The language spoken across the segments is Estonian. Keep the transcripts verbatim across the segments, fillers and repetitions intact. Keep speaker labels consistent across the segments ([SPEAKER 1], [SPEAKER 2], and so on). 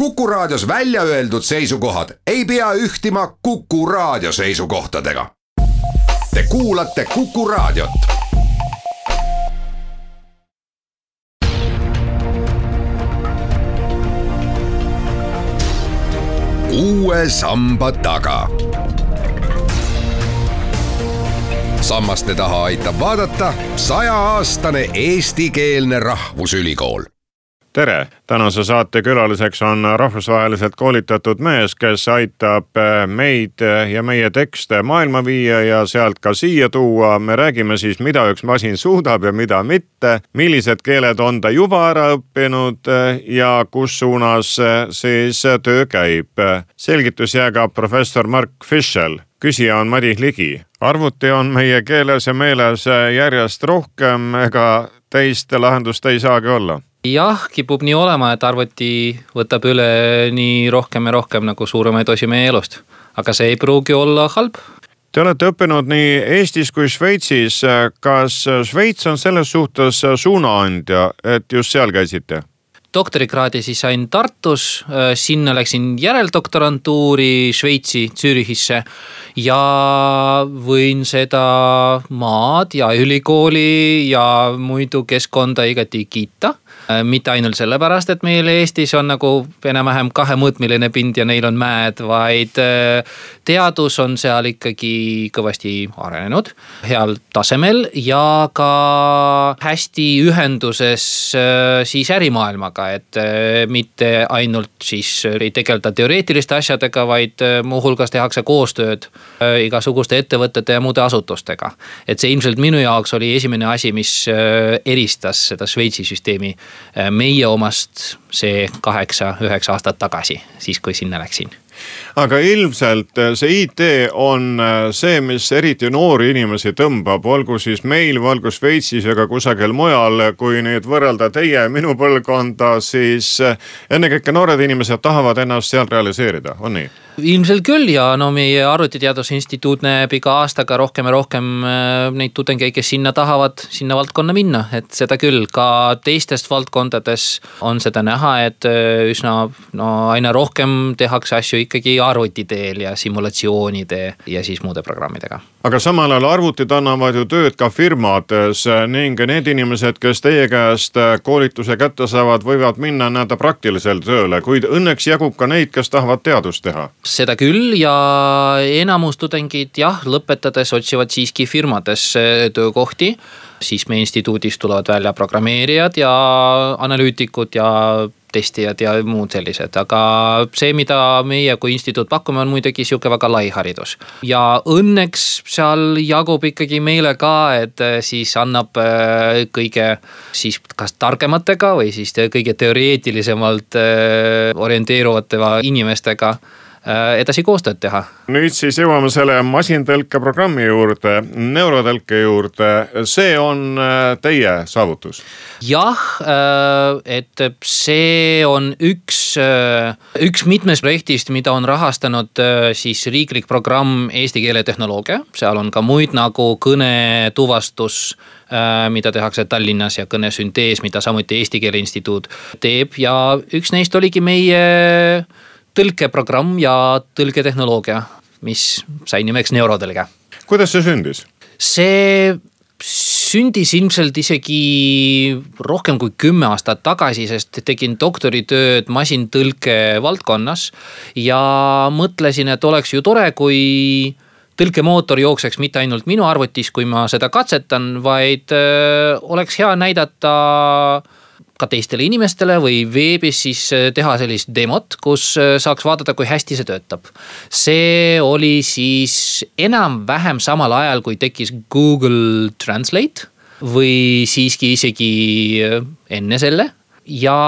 [SPEAKER 1] Kuku Raadios välja öeldud seisukohad ei pea ühtima Kuku Raadio seisukohtadega. Te kuulate Kuku Raadiot. Uue samba taga. Sammaste taha aitab vaadata sajaaastane eestikeelne rahvusülikool.
[SPEAKER 2] Tere! Tänase saate külaliseks on rahvusvaheliselt koolitatud mees, kes aitab meid ja meie tekste maailma viia ja sealt ka siia tuua. Me räägime siis, mida üks masin suudab ja mida mitte, millised keeled on ta juba ära õppinud ja kus suunas siis töö käib. Selgitus jääb professor Mark Fischel. Küsija on Madis Ligi. Arvuti on meie keeles ja meeles järjest rohkem, ega teist lahendust ei saagi olla.
[SPEAKER 3] Jah, kipub nii olema, et arvuti võtab üle nii rohkem ja rohkem nagu suuremaid osi meie elust. Aga see ei pruugi olla halb.
[SPEAKER 2] Te olete õppinud nii Eestis kui Šveitsis. Kas Šveits on selles suhtes suunaandja, et just seal käisite?
[SPEAKER 3] Doktorikraadi siis sain Tartus, sinna läksin järeldoktorantuuri Šveitsi Zürichisse ja võin seda maad ja ülikooli ja muidu keskkonda igati kiita. Mitte ainult sellepärast, et meil Eestis on nagu enam-vähem kahemõõtmiline pind ja neil on mäed, vaid teadus on seal ikkagi kõvasti arenenud, heal tasemel ja ka hästi ühenduses siis ärimaailmaga, et mitte ainult siis ei tegelda teoreetiliste asjadega, vaid muuhulgas tehakse koostööd igasuguste ettevõtete ja muude asutustega. Et see ilmselt minu jaoks oli esimene asi, mis eristas seda Šveitsi süsteemi meie omast see kaheksa, üheksa aastat tagasi, siis kui sinna läksin.
[SPEAKER 2] Aga ilmselt see I T on see, mis eriti noori inimesi tõmbab, olgu siis meil, olgu Šveitsis ega kusagil mujal, kui nüüd võrrelda teie minu põlvkonda, siis ennekõike noored inimesed tahavad ennast seal realiseerida, on nii?
[SPEAKER 3] Ilmselt küll ja no meie arvutiteadusinstituut näeb iga aastaga rohkem ja rohkem neid tudengeid, kes sinna tahavad sinna valdkonna minna, et seda küll ka teistest valdkondades on seda näha, et üsna no, aina rohkem tehakse asju ikkagi arvutiteel ja simulatsioonide ja siis muude programmidega.
[SPEAKER 2] Aga samal ajal arvutid annavad ju tööd ka firmades ning need inimesed, kes teie käest koolituse kätte saavad, võivad minna näida praktiliselt tööle, kuid õnneks jagub ka neid, kes tahavad teadust teha.
[SPEAKER 3] Seda küll ja enamus tudengid jah, lõpetades otsivad siiski firmades töökohti, siis meie instituudis tulevad välja programmeerijad ja analüütikud ja testijad ja muud sellised, aga see, mida meie kui instituut pakume, on muidugi siuke väga lai haridus. Ja õnneks seal jagub ikkagi meile ka, et siis annab kõige siis kas targematega või siis kõige teoreetilisemalt orienteeruvate inimestega edasi koostööd teha.
[SPEAKER 2] Nüüd siis jõuame selle masintõlke programmi juurde, neurotõlke juurde. See on teie saavutus?
[SPEAKER 3] Jah, et see on üks, üks mitmes projektist, mida on rahastanud siis riiklik programm Eesti keeletehnoloogia. Seal on ka muid nagu kõnetuvastus, mida tehakse Tallinnas ja kõnesüntees, mida samuti Eesti Keele Instituut teeb ja üks neist oligi meie tõlkeprogramm ja tõlketehnoloogia, mis sai nimeks neurotõlge.
[SPEAKER 2] Kuidas see sündis?
[SPEAKER 3] See sündis ilmselt isegi rohkem kui kümme aastat tagasi, sest tegin doktoritööd masintõlke valdkonnas ja mõtlesin, et oleks ju tore, kui tõlkemootor jookseks mitte ainult minu arvutis, kui ma seda katsetan, vaid oleks hea näidata ka teistele inimestele või veebis siis teha sellist demot, kus saaks vaadata, kui hästi see töötab. See oli siis enam-vähem samal ajal, kui tekkis Google Translate või siiski isegi enne selle ja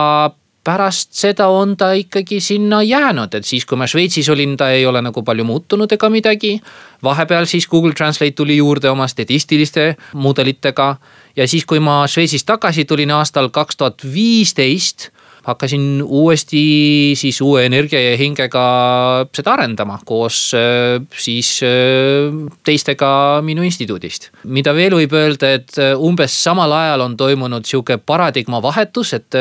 [SPEAKER 3] pärast seda on ta ikkagi sinna jäänud, et siis kui ma Šveitsis olin, ta ei ole nagu palju muutunud ega midagi. Vahepeal siis Google Translate tuli juurde oma statistiliste mudelitega ja siis kui ma Šveitsist tagasi tulin aastal kaks tuhat viisteist, hakkasin uuesti siis uue energia ja hingega seda arendama koos siis teistega minu instituudist. Mida veel võib öelda, et umbes samal ajal on toimunud siuke paradigma vahetus, et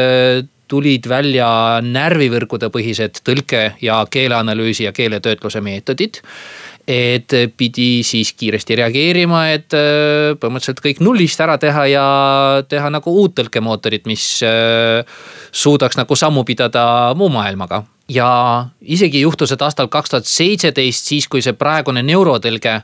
[SPEAKER 3] tulid välja närvivõrkude põhised tõlke ja keeleanalüüsi ja keeletöötluse meetodid. Et pidi siis kiiresti reageerima, et põhimõtteliselt kõik nullist ära teha ja teha nagu uut tõlkemootorit, mis suudaks nagu sammu pidada muu maailmaga. Ja isegi juhtus, et aastal kaks tuhat seitseteist, siis kui see praegune neurotõlge,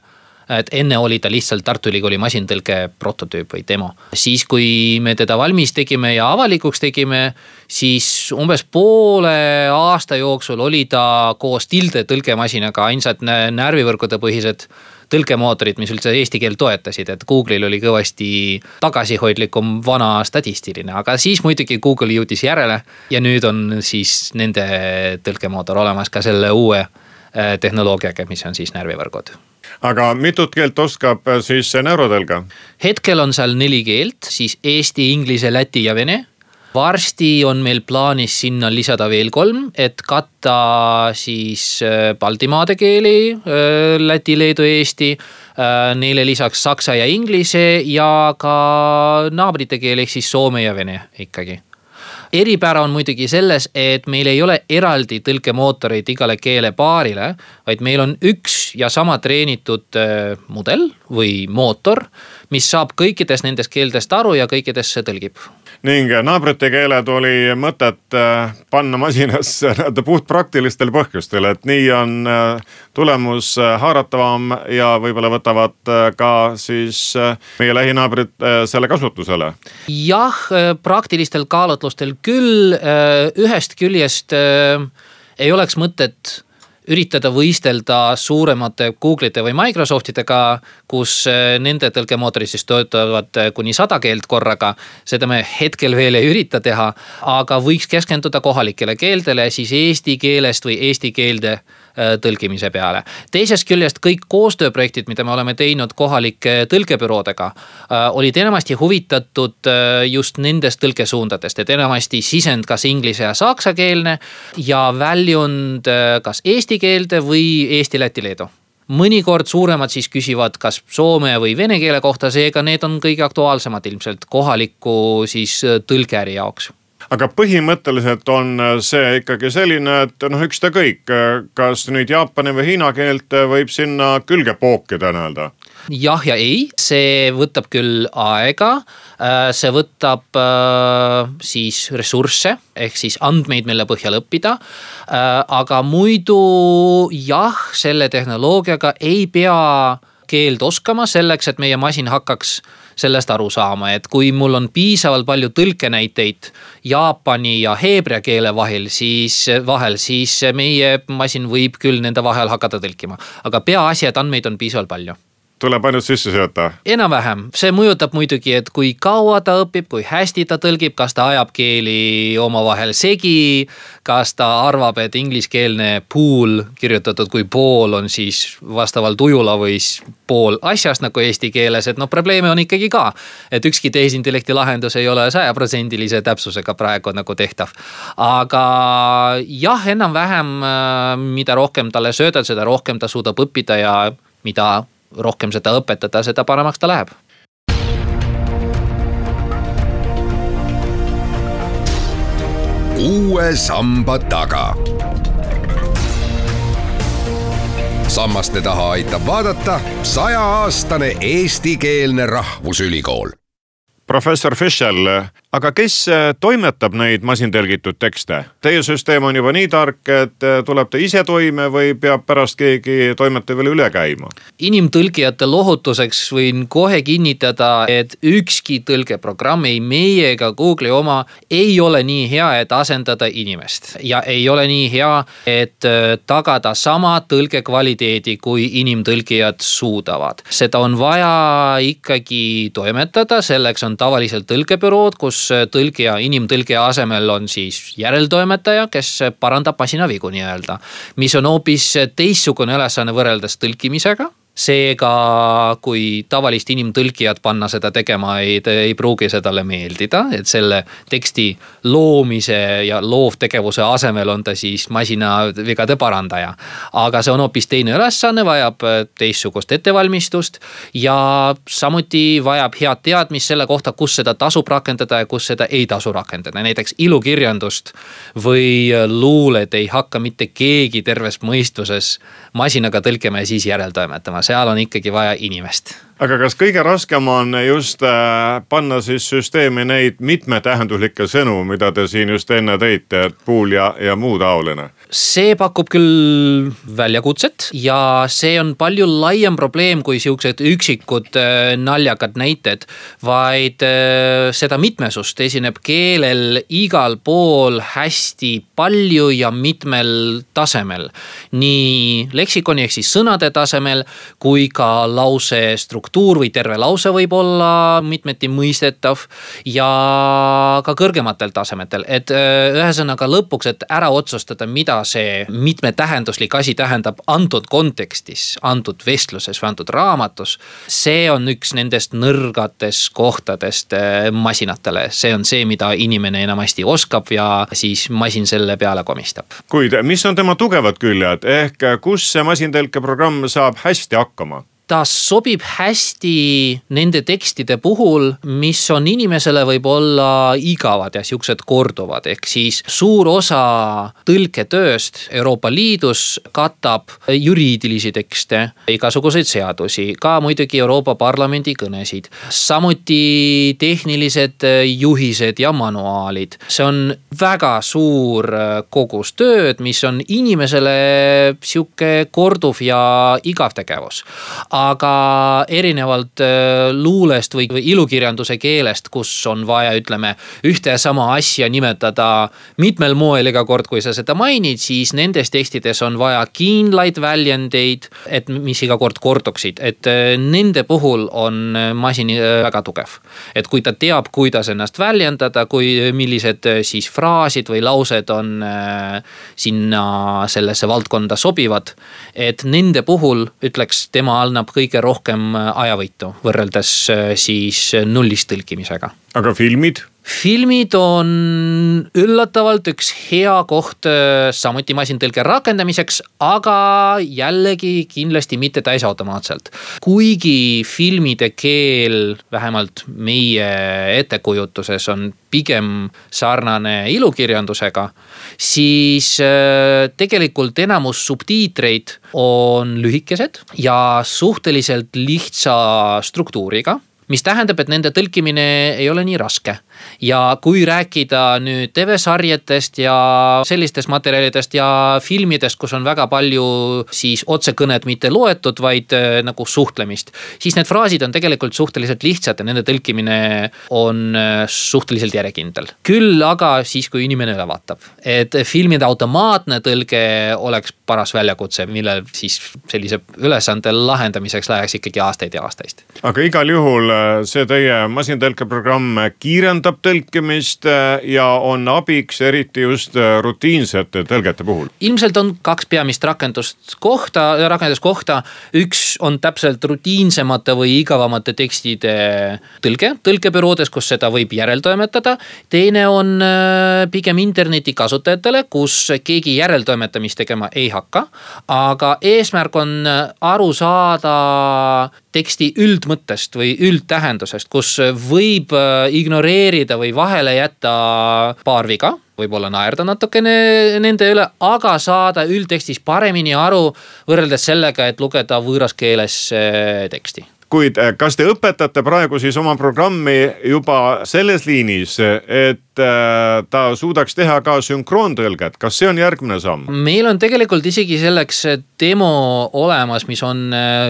[SPEAKER 3] et enne oli ta lihtsalt Tartu Ülikooli masintõlke prototüüp või demo. Siis kui me teda valmis tegime ja avalikuks tegime, siis umbes poole aasta jooksul oli ta koos tilde tõlkemasinaga ainsad närvivõrkude põhised tõlkemootorid, mis üldse eesti keel toetasid, et Google'il oli kõvasti tagasihoidlikum vana statistiline, aga siis muidugi Google jõudis järele ja nüüd on siis nende tõlkemootor olemas ka selle uue tehnoloogiaga, mis on siis närvivõrgud.
[SPEAKER 2] Aga mitut keelt oskab siis neurotõlge?
[SPEAKER 3] Hetkel on seal neli keelt, siis eesti, inglise, läti ja vene. Varsti on meil plaanis sinna lisada veel kolm, et katta siis Baltimaade keeli, läti, leedu, eesti, neile lisaks saksa ja inglise ja ka naabrite keel ehk siis soome ja vene ikkagi. Eripära on muidugi selles, et meil ei ole eraldi tõlkemootoreid igale keele paarile, vaid meil on üks ja sama treenitud mudel või mootor, mis saab kõikides nendest keeldest aru ja kõikidesse tõlgib.
[SPEAKER 2] Ning naabrite keeled oli mõtet panna masinasse puht praktilistel põhjustel, et nii on tulemus haaratavam ja võib-olla võtavad ka siis meie lähinaabrid selle kasutusele.
[SPEAKER 3] Jah, praktilistel kaalutlustel küll, ühest küljest ei oleks mõtet üritada võistelda suuremate Google'ite või Microsoftidega, kus nende tõlkemootorid siis töötavad kuni sada keelt korraga. Seda me hetkel veel ei ürita teha, aga võiks keskenduda kohalikele keeldele, siis eesti keelest või eesti keelde tõlkimise peale. Teisest küljest kõik koostööprojektid, mida me oleme teinud kohalike tõlkebüroodega, olid enamasti huvitatud just nendest tõlkesuundadest, et enamasti sisend kas inglise ja saksa keelne ja väljund kas eesti keelde või eesti, läti, leedu. Mõnikord suuremad siis küsivad kas soome või vene keele kohta, seega need on kõige aktuaalsemad ilmselt kohaliku siis tõlkeäri jaoks.
[SPEAKER 2] Aga põhimõtteliselt on see ikkagi selline, et noh, üks ta kõik, kas nüüd jaapani või hiina keelt võib sinna külge pookida näelda?
[SPEAKER 3] Jah ja ei, see võtab küll aega, see võtab siis ressursse, ehk siis andmeid, mille põhjal õppida, aga muidu jah, selle tehnoloogiaga ei pea keeld oskama selleks, et meie masin hakkaks sellest aru saama, et kui mul on piisavalt palju tõlkenäiteid jaapani ja heebrea keele vahel, siis vahel, siis meie masin võib küll nende vahel hakata tõlkima, aga peaasi, et andmeid on piisavalt palju.
[SPEAKER 2] Tuleb ainult sisse sööta?
[SPEAKER 3] Enam-vähem. See mõjutab muidugi, et kui kaua ta õpib, kui hästi ta tõlgib, kas ta ajab keeli omavahel segi, kas ta arvab, et ingliskeelne pool kirjutatud kui pool on siis vastavalt ujula või pool asjast nagu eesti keeles, et no probleeme on ikkagi ka, et ükski tehisintellekti lahendus ei ole sajaprotsendilise täpsusega praegu nagu tehtav. Aga jah, enam-vähem mida rohkem talle söödad, seda rohkem ta suudab õppida ja mida rohkem seda õpetada, seda paremaks ta läheb.
[SPEAKER 1] Uue samba taga. Sammaste taha aitab vaadata sajaaastane eestikeelne rahvusülikool.
[SPEAKER 2] Professor Fischel, aga kes toimetab neid masintõlgitud tekste? Teie süsteem on juba nii tark, et tuleb ta ise toime või peab pärast keegi toimetaja veel üle käima?
[SPEAKER 3] Inimtõlgijate lohutuseks võin kohe kinnitada, et ükski tõlgeprogramm, ei meie ega Google'i oma, ei ole nii hea, et asendada inimest. Ja ei ole nii hea, et tagada sama tõlge kvaliteedi, kui inimtõlgijad suudavad. Seda on vaja ikkagi toimetada, selleks on tavaliselt tõlkebürood, kus tõlgija, inimtõlgija asemel on siis järeltoimetaja, kes parandab masinavigu nii öelda, mis on hoopis teistsugune ülesanne võrreldes tõlkimisega. seega kui tavalist inimtõlkijat panna seda tegema, ei, ei pruugi see talle meeldida, et selle teksti loomise ja loovtegevuse asemel on ta siis masina vigade parandaja. Aga see on hoopis teine ülesanne, vajab teistsugust ettevalmistust ja samuti vajab head teadmist selle kohta, kus seda tasub rakendada ja kus seda ei tasu rakendada. Näiteks ilukirjandust või luulet ei hakka mitte keegi terves mõistuses masinaga tõlkima ja siis järeltoimetama. Seal on ikkagi vaja inimest.
[SPEAKER 2] Aga kas kõige raskem on just panna siis süsteemi neid mitmetähenduslikke sõnu, mida te siin just enne tõite, et puul ja, ja muu taoline?
[SPEAKER 3] See pakub küll väljakutset ja see on palju laiem probleem kui siuksed üksikud naljakad näited, vaid seda mitmesust esineb keelel igal pool hästi palju ja mitmel tasemel. Nii leksikoni ehk siis sõnade tasemel kui ka lause struktuur või terve lause võib olla mitmeti mõistetav ja ka kõrgematel tasemetel. Et ühesõnaga lõpuks, et ära otsustada, mida see mitmetähenduslik asi tähendab antud kontekstis, antud vestluses või antud raamatus, see on üks nendest nõrgates kohtadest masinatele. See on see, mida inimene enamasti oskab ja siis masin selle peale komistab.
[SPEAKER 2] Kuid mis on tema tugevad küljed ehk kus see masintõlkeprogramm saab hästi hakkama?
[SPEAKER 3] Ta sobib hästi nende tekstide puhul, mis on inimesele võib olla igavad ja siuksed korduvad. Ehk siis suur osa tõlketööst Euroopa Liidus katab juriidilisi tekste, igasuguseid seadusi, ka muidugi Euroopa Parlamendi kõnesid. Samuti tehnilised juhised ja manuaalid. See on väga suur kogus tööd, mis on inimesele siuke korduv ja igav tegevus. Aga erinevalt luulest või ilukirjanduse keelest, kus on vaja, ütleme, ühte ja sama asja nimetada mitmel moel iga kord, kui sa seda mainid, siis nendes tekstides on vaja kindlaid väljendeid, et mis iga kord korduksid. Et nende puhul on masin väga tugev. Et kui ta teab, kuidas ennast väljendada, kui millised siis fraasid või laused on sinna sellesse valdkonda sobivad, et nende puhul, ütleks, tema annab kõige rohkem ajavõitu võrreldes siis nullist tõlkimisega.
[SPEAKER 2] Aga filmid?
[SPEAKER 3] Filmid on üllatavalt üks hea koht samuti masintõlke rakendamiseks, aga jällegi kindlasti mitte täisautomaatselt. Kuigi filmide keel vähemalt meie ettekujutuses on pigem sarnane ilukirjandusega, siis tegelikult enamus subtiitreid on lühikesed ja suhteliselt lihtsa struktuuriga, mis tähendab, et nende tõlkimine ei ole nii raske. Ja kui rääkida nüüd T V-sarjetest ja sellistest materjalidest ja filmidest, kus on väga palju siis otsekõned mitte loetud, vaid nagu suhtlemist, siis need fraasid on tegelikult suhteliselt lihtsad ja nende tõlkimine on suhteliselt järjekindel. Küll aga siis, kui inimene üle vaatab, et filmide automaatne tõlge oleks paras väljakutse, millel siis sellise ülesande lahendamiseks läheks ikkagi aastaid ja aastaid.
[SPEAKER 2] Aga igal juhul see teie masintõlkeprogramm kiirendab tõlkimist ja on abiks eriti just rutiinsete tõlgete puhul.
[SPEAKER 3] Ilmselt on kaks peamist rakendust kohta, rakenduskohta. Üks on täpselt rutiinsemate või igavamate tekstide tõlge, tõlkebüroodes, kus seda võib järeltoimetada. Teine on pigem interneti kasutajatele, kus keegi järeltoimetamist tegema ei hakka, aga eesmärk on aru saada teksti üldmõttest või üldtähendusest, kus võib ignoreerida või vahele jätta paar viga, võib-olla naerda natukene nende üle, aga saada üldtekstis paremini aru võrreldes sellega, et lugeda võõras keeles teksti.
[SPEAKER 2] Kuid kas te õpetate praegu siis oma programmi juba selles liinis, et ta suudaks teha ka sünkroontõlget? Kas see on järgmine samm?
[SPEAKER 3] Meil on tegelikult isegi selleks demo olemas, mis on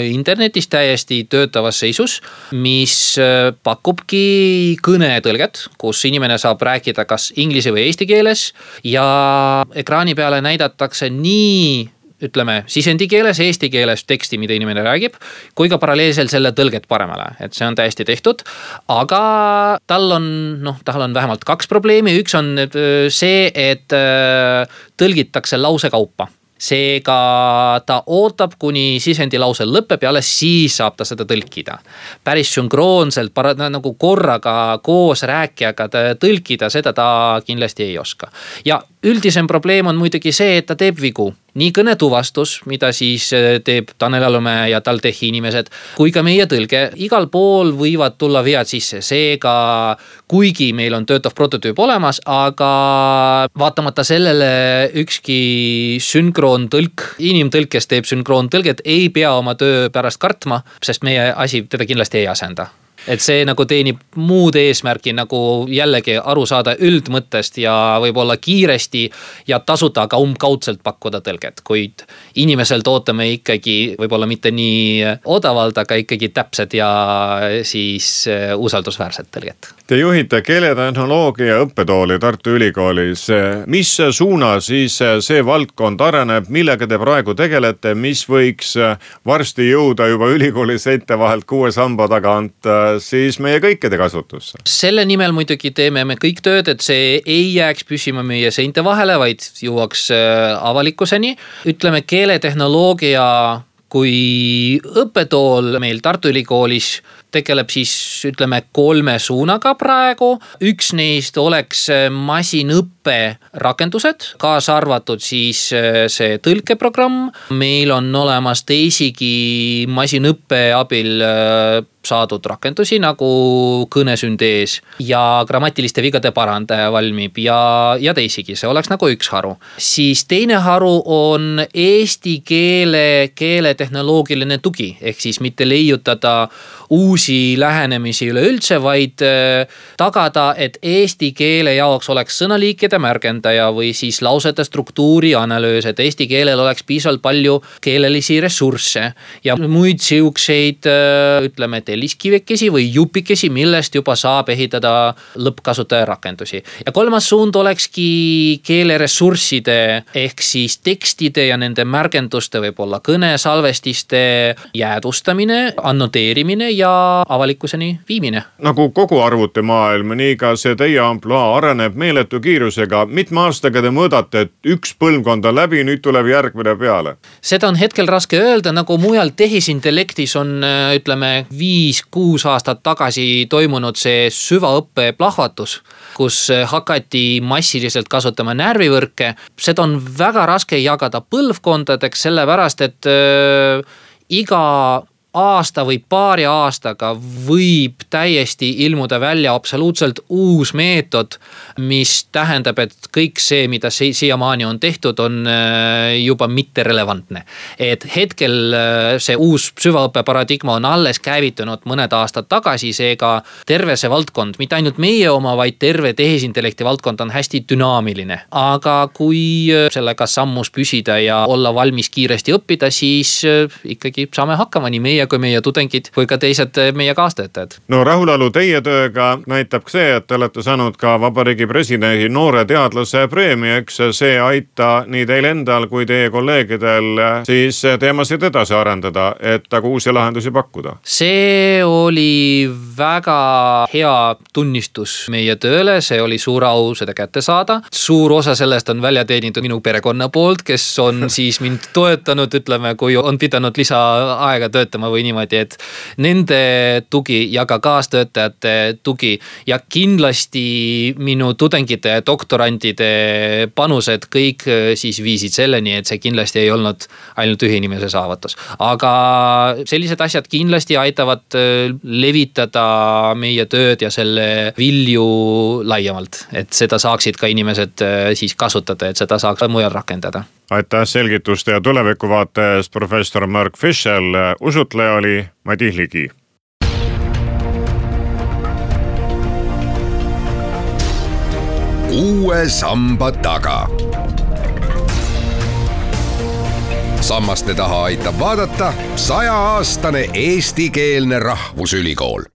[SPEAKER 3] internetis täiesti töötavas seisus, mis pakubki kõnetõlget, kus inimene saab rääkida kas inglise või eesti keeles ja ekraani peale näidatakse nii ütleme sisendi keeles, eesti keeles teksti, mida inimene räägib, kui ka paralleelselt selle tõlget paremale, et see on täiesti tehtud, aga tal on, noh, tal on vähemalt kaks probleemi. Üks on see, et tõlgitakse lause kaupa. seega ta ootab, kuni sisendilause lõpeb ja alles siis saab ta seda tõlkida. Päris sünkroonselt, nagu korraga koos rääkijaga tõlkida, seda ta kindlasti ei oska. Ja üldisem probleem on muidugi see, et ta teeb vigu. Nii kõnetuvastus, mida siis teeb Tanel Alumäe ja TalTechi inimesed, kui ka meie tõlge. Igal pool võivad tulla vead sisse, seega kuigi meil on töötav prototüüp olemas, aga vaatamata sellele ükski sünkroontõlk, inimtõlk, kes teeb sünkroontõlget, ei pea oma töö pärast kartma, sest meie asi teda kindlasti ei asenda. Et see nagu teenib muud eesmärki nagu jällegi aru saada üldmõttest ja võib-olla kiiresti ja tasuta ka umbkaudselt pakkuda tõlget, kuid inimeselt ootame ikkagi võib-olla mitte nii odavalt, aga ikkagi täpsed ja siis usaldusväärset tõlget.
[SPEAKER 2] Te juhite keeletehnoloogia õppetooli Tartu Ülikoolis. Mis suuna siis see valdkond areneb, millega te praegu tegelete, mis võiks varsti jõuda juba ülikooli seinte vahelt kuue samba tagant siis meie kõikide kasutusse?
[SPEAKER 3] Selle nimel muidugi teeme me kõik tööd, et see ei jääks püsima meie seinte vahele, vaid jõuaks avalikkuseni. Ütleme, keeletehnoloogia kui õppetool meil Tartu Ülikoolis tegeleb siis ütleme kolme suunaga praegu. Üks neist oleks masinõppe rakendused, kaasa arvatud siis see tõlkeprogramm. Meil on olemas teisigi masinõppe abil saadud rakendusi nagu kõnesüntees ja grammatiliste vigade parandaja valmib ja, ja teisigi, see oleks nagu üks haru. Siis teine haru on eesti keele keeletehnoloogiline tugi, ehk siis mitte leiutada uusi lähenemisi üleüldse, vaid tagada, et eesti keele jaoks oleks sõnaliikide märgendaja või siis lausete struktuuri analüüs, et eesti keelel oleks piisavalt palju keelelisi ressursse ja muid siukseid, ütleme, telliskivekesi või jupikesi, millest juba saab ehitada lõppkasutaja rakendusi. Ja kolmas suund olekski keeleressursside ehk siis tekstide ja nende märgenduste võib-olla kõnesalvestiste jäädustamine, annoteerimine ja avalikkuseni viimine.
[SPEAKER 2] Nagu kogu arvutimaailm, nii ka see teie ampluaa areneb meeletu kiirusega. Mitme aastaga te mõõdate, et üks põlvkond on läbi, nüüd tuleb järgmine peale?
[SPEAKER 3] Seda on hetkel raske öelda, nagu mujal tehisintellektis on, ütleme, viis kuus aastat tagasi toimunud see süvaõppe plahvatus, kus hakati massiliselt kasutama närvivõrke. Seda on väga raske jagada põlvkondadeks, sellepärast, et äh, iga aasta või paari aastaga võib täiesti ilmuda välja absoluutselt uus meetod, mis tähendab, et kõik see, mida siiamaani on tehtud, on juba mitte relevantne. Et hetkel see uus süvaõppe paradigma on alles käivitunud mõned aastad tagasi, seega terve see valdkond, mitte ainult meie oma, vaid terve tehisintellekti valdkond on hästi dünaamiline. Aga kui sellega sammus püsida ja olla valmis kiiresti õppida, siis ikkagi saame hakkama nii meie kui meie tudengid kui ka teised meie kaastöötajad.
[SPEAKER 2] No rahulalu teie tööga näitab see, et te olete saanud ka Vabariigi presidendi noore teadlase preemia, eks see aita nii teil endal kui teie kolleegidel siis teemasid edasi arendada, et aga uusi lahendusi pakkuda.
[SPEAKER 3] See oli väga hea tunnistus meie tööle, see oli suur au seda kätte saada. Suur osa sellest on välja teenitud minu perekonna poolt, kes on siis mind toetanud, ütleme, kui on pidanud lisaaega töötama või niimoodi, et nende tugi ja ka kaastöötajate tugi ja kindlasti minu tudengite ja doktorantide panused kõik siis viisid selleni, et see kindlasti ei olnud ainult ühe inimese saavutus. Aga sellised asjad kindlasti aitavad levitada meie tööd ja selle vilju laiemalt, et seda saaksid ka inimesed siis kasutada, et seda saaks mujal rakendada.
[SPEAKER 2] Aitäh selgituste ja tulevikuvaate eest, professor Mark Fischel. Usutleja oli Madis Ligi.
[SPEAKER 1] Uue samba taga. Sammaste taha aitab vaadata sajaaastane eestikeelne rahvusülikool.